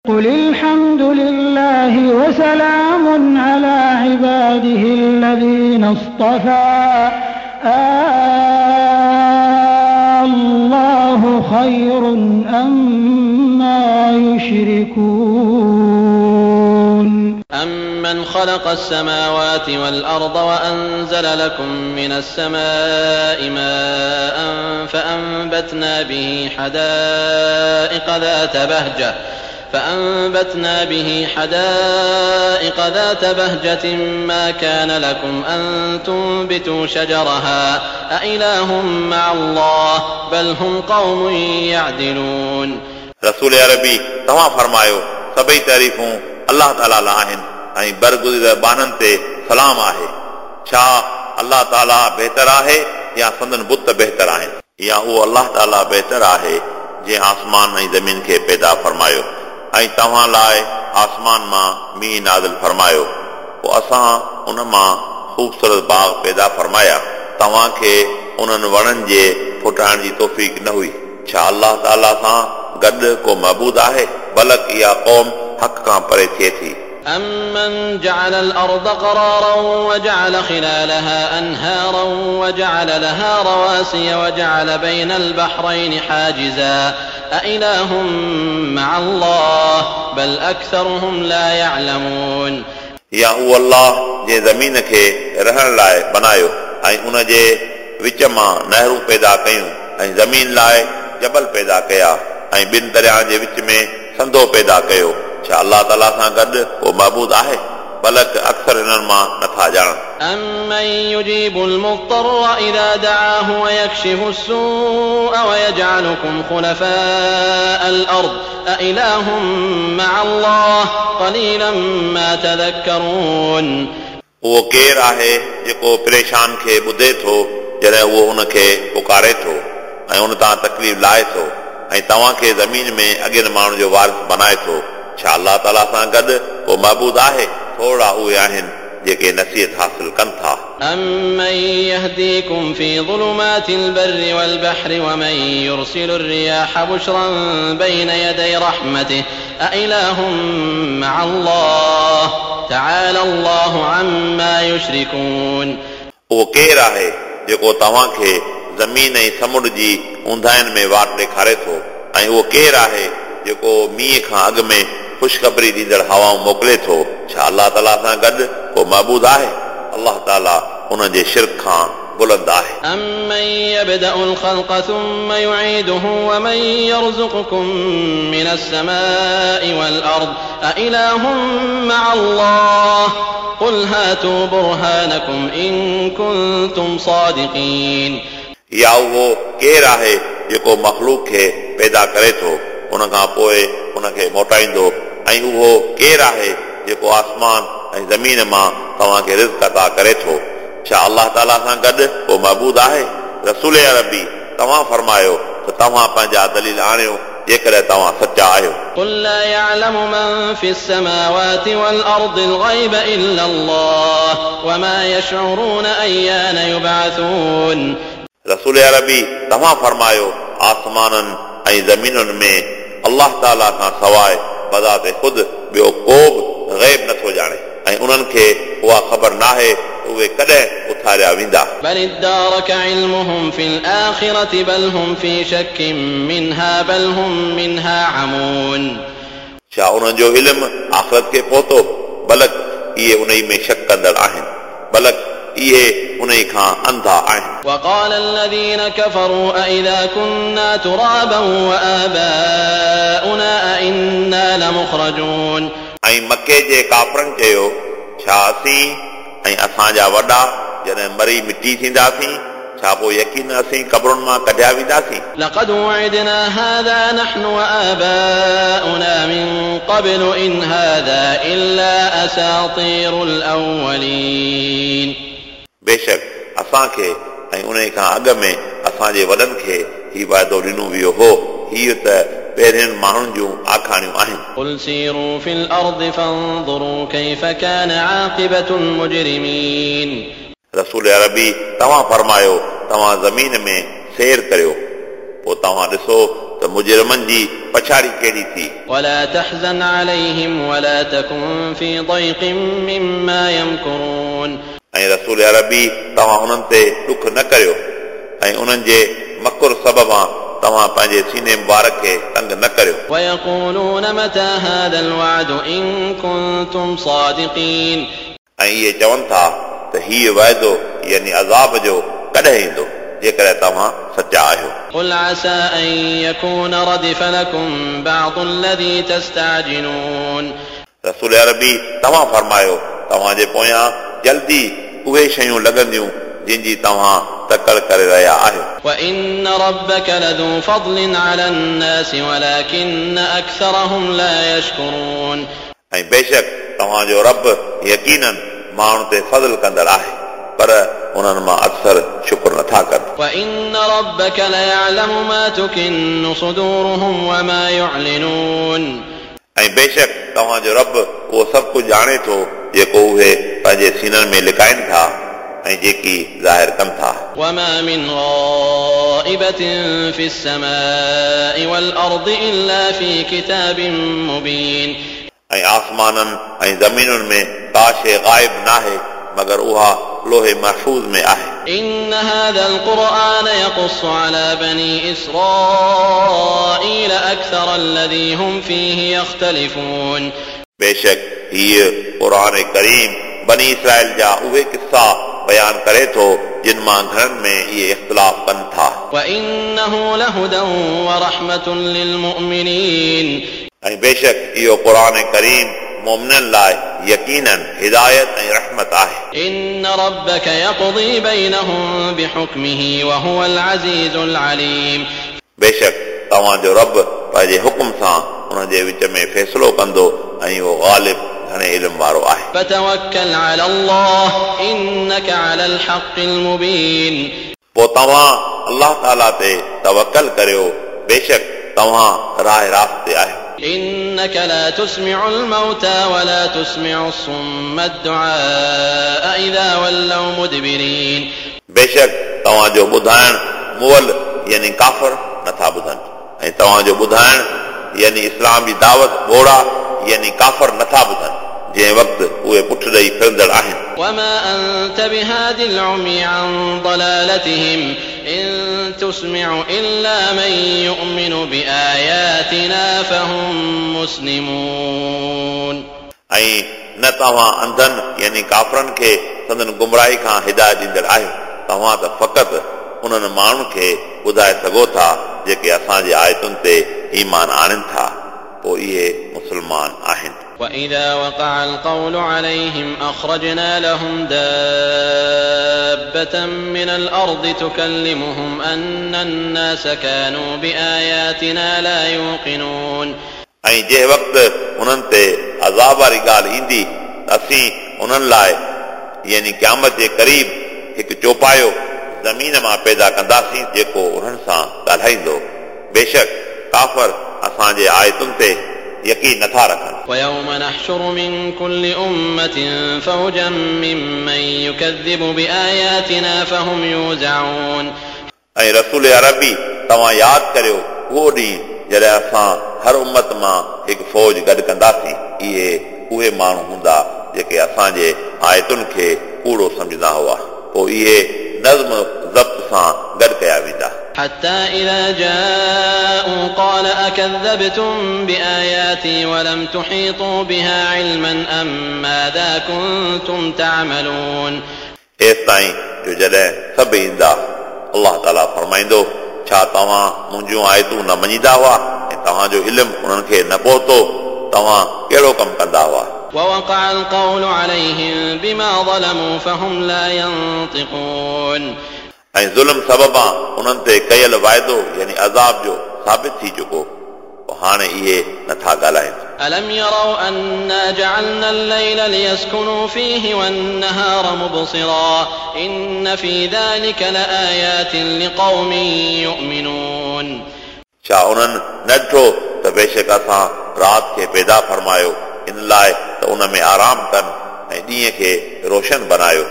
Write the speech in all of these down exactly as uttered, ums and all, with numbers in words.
قل الحمد لله وسلام على عباده الذين اصطفى الله خير أما يشركون. أمن خلق السماوات والأرض وأنزل لكم من السماء ماء فأنبتنا به حدائق ذات بهجة فأنبتنا به حدائق ذات بهجة ما كان لكم أن تنبتوا شجرها أإله مع الله بل هم قوم يعدلون. रसूल अरबी तव्हां फरमायो सभई तारीफ़ूं अलाह ताला लाइ आहिनि ऐं बरगुज़ीदा ॿान्हनि ते सलाम आहे। छा अलाह ताला बहितर आहे या संदन बुत बहितर आहिनि? या उहो अलाह ताला बहितर आहे जंहिं आसमान ऐं ज़मीन खे पैदा फरमायो ऐं तव्हां लाइ आसमान मां मींहुं नाज़िल फरमायो, पोइ असां उन मां ख़ूबसूरत बाग़ पैदा फरमाया। तव्हांखे उन्हनि वणनि जे फुटाइण जी तौफ़ीक़ न हुई। छा अलाह ताला सां गॾु को महबूद आहे? बल्कि इहा क़ौम हक़ खां परे थिए थी। أمن جعل الأرض قرارا وجعل خلالها أنهارا وجعل لها رواسي وجعل بين البحرين حاجزا أإله مع الله بل أكثرهم لا يعلمون. या उहो अलाह जंहिं ज़मीन खे रहण लाइ बनायो ऐं उन जे विच मां नहरूं पैदा कयूं ऐं ज़मीन लाइ जबल पैदा कया ऐं ॿिनि दरियाउनि जे विच में संधो पैदा कयो। छा अलाह ताला सां गॾु को महबूद आहे? बल्कि अक्सर हिननि मां नथा ॼाणनि। أمن يجيب المضطر إذا دعاه ويكشف السوء ويجعلكم خلفاء الأرض أإله مع الله قليلا ما تذكرون. उहो केरु आहे जेको परेशान खे ॿुधे थो जॾहिं उहो उनखे पुकारे थो ऐं उन तां तकलीफ़ लाहे थो ऐं तव्हांखे ज़मीन में अॻियनि माण्हुनि जो वारिस बनाए थो। छा अलाह ताला सां गॾु को महबूद आहे? थोरा उहे आहिनि जेके नसीहत हासिल कनि था। أمن يهديكم في ظلمات البر والبحر ومن يرسل الرياح بشرا بين يدي رحمته أإله مع الله تعالى الله عما يشركون. उहो केरु आहे जेको तव्हांखे ज़मीन ऐं समुंड जी ऊंधाइनि में वाट ॾेखारे थो ऐं उहो केरु आहे जेको मींहुं खां अॻु में ख़ुशख़बरी ॾींदड़ हवाऊं मोकिले थो? छा अलाह ताला सां गॾु को महबूद आहे? अलाह ताला उन जे शिर्क खां बुलंद आहे। أمن يبدأ الخلق ثم يعيده ومن يرزقكم من السماء والأرض أإله مع الله قل هاتوا برهانكم إن كنتم صادقين. या उहो केरु आहे जेको मख़लूक खे पैदा करे थो उन खां पोइ उनखे मोटाईंदो ऐं उहो केरु आहे जेको आसमान ऐं ज़मीन मां तव्हांखे रिज़्क अता करे थो? छा अलाह ताला सां गॾु को महबूद आहे? रसूल अरबी तव्हां फरमायो त तव्हां पंहिंजा दलील आणियो जेकॾहिं तव्हां सचा आहियो। قل لا يعلم من في السماوات والأرض الغيب إلا الله وما يشعرون أيان يبعثون. रसूल अरबी तव्हां फरमायो आसमाननि ऐं ज़मीनुनि में अलाह ताला खां सवाइ बज़ाते ख़ुदि ॿियो को बि ग़ैब नथो ॼाणे ऐं उन्हनि खे उहा ख़बर नाहे उहे कॾहिं उथारिया वेंदा। بل ادارك علمهم في الآخرة بل هم في شك منها بل هم منها عمون. छा उन्हनि जो इल्मु आख़िरत खे पहुतो? बल्कि इहे उन में शक कंदड़ आहिनि, बल्कि इहे उन खां अंधा आहिनि। وقال الذين كفروا أإذا كنا ترابا وآباؤنا أإنا لمخرجون. ऐं मके जे काफ़रनि चयो छा असीं ऐं असांजा वॾा जॾहिं मरी मिटी थींदासीं छा पोइ यकीन असीं क़बरुनि मां कढिया वेंदासीं? لقد وعدنا هذا نحن وآباؤنا من قبل إن هذا إلا أساطير الأولين. बेशक असांखे ऐं उन खां अॻु में असांजे वॾनि खे ही वाइदो ॾिनो वियो हो, हीअ त पहिरियनि माण्हुनि जूं आखाणियूं आहिनि। قل سيروا في الأرض فانظروا كيف كان عاقبة المجرمين. रसूल अरबी तव्हां फरमायो तव्हां ज़मीन में सैर करियो पोइ तव्हां ॾिसो त त मुजरिमनि जी पछाड़ी कहिड़ी थी। ولا تحزن عليهم ولا تكن في ضيق مما يمكرون। ऐं रसूल अरबी तव्हां उन्हनि ते ॾुख न करियो ऐं उन्हनि जे मकुर सबबां तव्हां पंहिंजे सीने मुबारक खे तंग न करियो। ويقولون متى هذا الوعد إن كنتم صادقين। ऐं इहे चवनि था त हीउ वाइदो यानी अज़ाब जो कॾहिं ईंदो जेकॾहिं तव्हां सचा आहियो। قل عسى أن يكون ردف لكم بعض الذي تستعجلون। रसूल अरबी तव्हां फरमायो तव्हांजे पोयां जल्दी उहे शयूं लॻंदियूं जिन जी तव्हां तकड़ करे रहिया आहियो। وإن ربك لذو فضل على الناس ولكن أكثرهم لا يشكرون। ऐं बेशक तव्हांजो रब यकीनन माण्हुनि ते फज़ल कंदड़ आहे पर उन्हनि मां अक्सर शुक्र नथा कनि। وإن ربك ليعلم ما تكن صدورهم وما يعلنون। ऐं बेशक तव्हांजो रब उहो सभु कुझु ॼाणे थो जेको उहे पंहिंजे सीननि में लिकाइनि था ऐं जेकी ज़ाहिर कनि था। وما من غائبة في السماء والأرض إلا في كتاب مبين। ऐं आसमाननि ऐं ज़मीनुनि में का शइ ग़ाइब नाहे मगर उहा लोहे महफ़ूज़ में आहे। إن هذا القرآن يقص على بني إسرائيل أكثر الذي هم فيه يختلفون। बेशक हीअ क़ुर करीम बनी इसराइल जा उहे किस्सा बयान करे थो जिन मां घणनि में इहे इख़्तिलाफ़ कनि था। وإنه لهدى ورحمة للمؤمنين। ऐं बेशक इहो क़ुर करीम मोमिननि लाइ यकीनन हिदायत ऐं रहमत आहे। إن ربك يقضي بينهم بحكمه وهو العزيز العليم। बेशक तव्हांजो रब पंहिंजे हुकुम सां उन्हनि जे विच में फ़ैसिलो कंदो ऐं उहो ग़ालिब घणे इल्म वारो आहे। فتوكل على الله إنك على الحق المبين। पोइ तव्हां अल्लाह ताला ते तवकल करियो बेशक तव्हां राह रास्त ते आहियो। إنك لا تسمع الموتى ولا تسمع الصم الدعاء إذا ولوا مدبرين। बेशक तव्हांजो ॿुधाइण मुअल यानी काफ़र नथा ॿुधनि ऐं तव्हांजो ॿुधाइण यानी इस्लाम जी दावत ॿोड़ा यानी काफ़र नथा ॿुधनि जंहिं वक़्तु उहे पुठ ॾेई फिरंदड़ आहिनि। وما أنت بهاد العمي عن ضلالتهم إن تسمع إلا من يؤمن بآياتنا فهم مسلمون। ऐं न तव्हां अंधनि यानी काफ़रनि खे संदन गुमराही खां हिदायत ॾींदड़ आहियो, तव्हां त फ़क़ति उन्हनि माण्हुनि खे ॿुधाए सघो था जेके असांजे आयतुनि ते ईमान आणनि था, पोइ इहे मुस्लमान आहिनि। وإذا وقع القول عليهم أخرجنا لهم دابة من الأرض تكلمهم أن الناس كانوا بآياتنا لا يوقنون। ऐं जंहिं वक़्तु उन्हनि ते अज़ाब वारी ॻाल्हि ईंदी त असीं उन्हनि लाइ यानी क़यामत जे क़रीब हिकु चौपायो ज़मीन मां पैदा कंदासीं जेको उन्हनि सां ॻाल्हाईंदो। बेशक काफ़र असांजे आयतुनि ते यकीन नथा रखनि। ويوم نحشر من كل أمة فوجا ممن يكذب بآياتنا فهم يوزعون। ऐं रसूल अरबी तव्हां यादि करियो उहो ॾींहुं जॾहिं असां हर उम्मत मां हिकु फ़ौज गॾु कंदासीं। इहे उहे माण्हू हूंदा जेके असांजे आयतुनि खे कूड़ो सम्झंदा हुआ, पोइ इहे नज़्म ज़ब्त सां गॾु कया वेंदा। حتى إذا جاءوا قال أكذبتم بآياتي ولم تحيطوا بها علما أم ماذا كنتم تعملون। एसिताईं जो जॾहिं सभु ईंदा अल्लाह ताला फरमाईंदो छा तव्हां मुंहिंजूं आयतूं न मञींदा हुआ ऐं तव्हांजो इल्मु उन्हनि खे न पहुतो, तव्हां कहिड़ो कमु कंदा हुआ। ووقع القول عليهم بما ظلموا فهم لا ينطقون। ऐं ज़ुल्म सबबां उन्हनि ते कयल वाइदो यानी अज़ाब जो साबित थी चुको, पोइ हाणे इहे नथा ॻाल्हाइनि। ألم يروا أنا جعلنا الليل ليسكنوا فيه والنهار مبصرا إن في ذلك لآيات لقوم يؤمنون। छा उन्हनि न ॾिठो त बेशक असां राति खे पैदा फरमायो इन लाइ त उन में आराम कनि ऐं ॾींहं खे रोशन बनायो।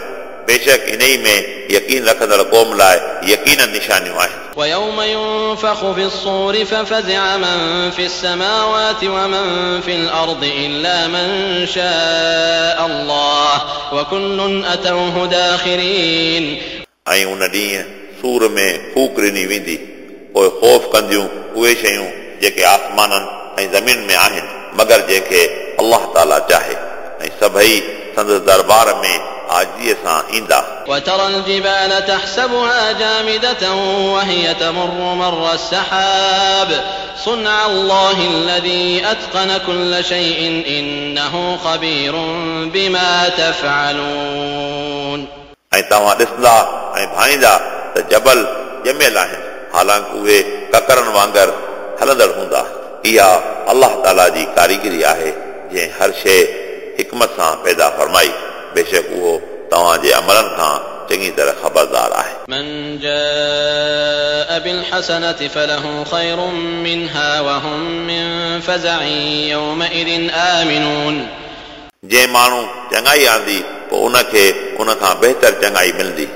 बेशक इन ई में यकीन रखंदड़ क़ौम लाइ यकीन निशानियूं आहिनि। ويوم ينفخ في الصور ففزع من في السماوات ومن في الأرض إلا من شاء الله وكل أتوه داخرين. ऐं उन ॾींहुं सूर में फूक ॾिनी वेंदी, पोइ ख़ौफ़ कंदियूं उहे शयूं जेके आसमाननि ऐं ज़मीन में आहिनि, मगर जंहिंखे अलाह ताला चाहे, ऐं सभई संदसि दरबार में आजीअ सां ईंदा। وترى الجبال تحسبها جامدة وهي تمر مر السحاب صنع الله الذي أتقن كل شيء إنه خبير بما تفعلون. ऐं तव्हां ॾिसंदा ऐं भाईंदा त जबल ॼमियल आहिनि, हालांकि उहे ककरनि वांगुरु हलंदड़ हूंदा। इहा अलाह ताला जी कारीगरी आहे जंहिं हर शइ हिकमत सां पैदा फरमाई। बेशक उहो तव्हांजे अमलनि खां चङी तरह ख़बरदार आहे। من جاء بالحسنة فله خير منها وهم من فزع يومئذ آمنون. जंहिं माण्हू चङाई आंदी पोइ उनखे उन खां बहितर चङाई मिलंदी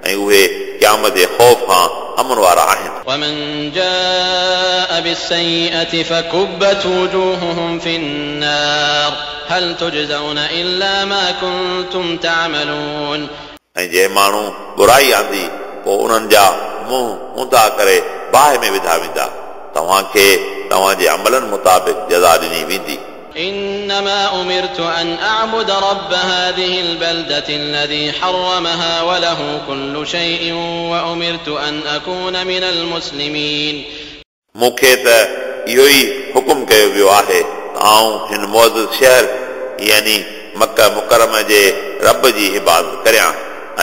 ऐं उहे क़यामत जे ख़ौफ़ खां अमन वारा आहिनि। ومن جاء بالسيئة فكبت وجوههم في النار هل تجزون إلا ما كنتم تعملون. ऐं जंहिं माण्हू बुराई आंदी पोइ उन्हनि जा मुंहुं ऊंधा करे बाहि में विधा वेंदा, तव्हांखे तव्हांजे अमलनि मुताबिक़ जज़ा ॾिनी वेंदी। إنما أمرت أن أعبد رب هذه البلدة الذي حرمها وله كل شيء وأمرت أن أكون من المسلمين. मूंखे त इहो ई हुकुम कयो वियो आहे त आउं हिन मुअज़्ज़ज़ शहर यानी मक्का मुकर्रम जे रब जी इबादत करियां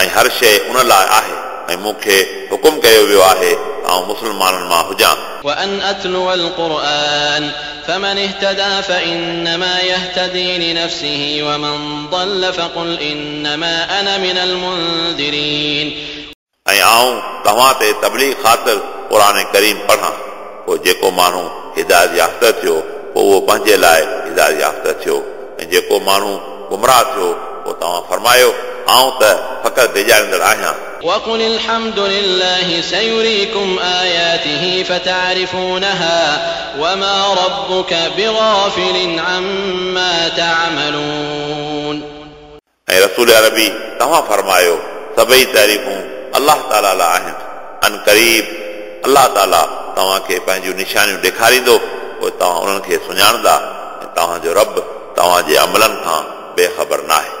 ऐं हर शइ उन लाइ आहे, ऐं मूंखे हुकुम कयो वियो आहे त आउं मुस्लमाननि मां हुजां। وأن أتلو القرآن فمن اهتدى فإنما يهتدي لنفسه ومن ضل فقل إنما أنا من المنذرين. ऐं आउं तव्हां ते तबलीग ख़ातिर क़ुर करीम पढ़ां, पोइ जेको माण्हू हिदायत याफ़्ता थियो पोइ उहो पंहिंजे लाइ हिदायत याफ़्ता थियो, ऐं जेको माण्हू गुमराह थियो पोइ तव्हां फरमायो आउं त फ़क़ति डिॼारींदड़ आहियां। وقل الحمد لله سيريكم آياته فتعرفونها وما ربك بغافل عما تعملون. ऐं रसूल अरबी तव्हां फरमायो सभई तारीफ़ूं अलाह ताला लाइ आहिनि। अन क़रीब अलाह ताला तव्हांखे पंहिंजूं निशानियूं ॾेखारींदो, पोइ तव्हां उन्हनि खे सुञाणंदा, ऐं तव्हांजो रब तव्हांजे अमलनि खां बेख़बर न आहे।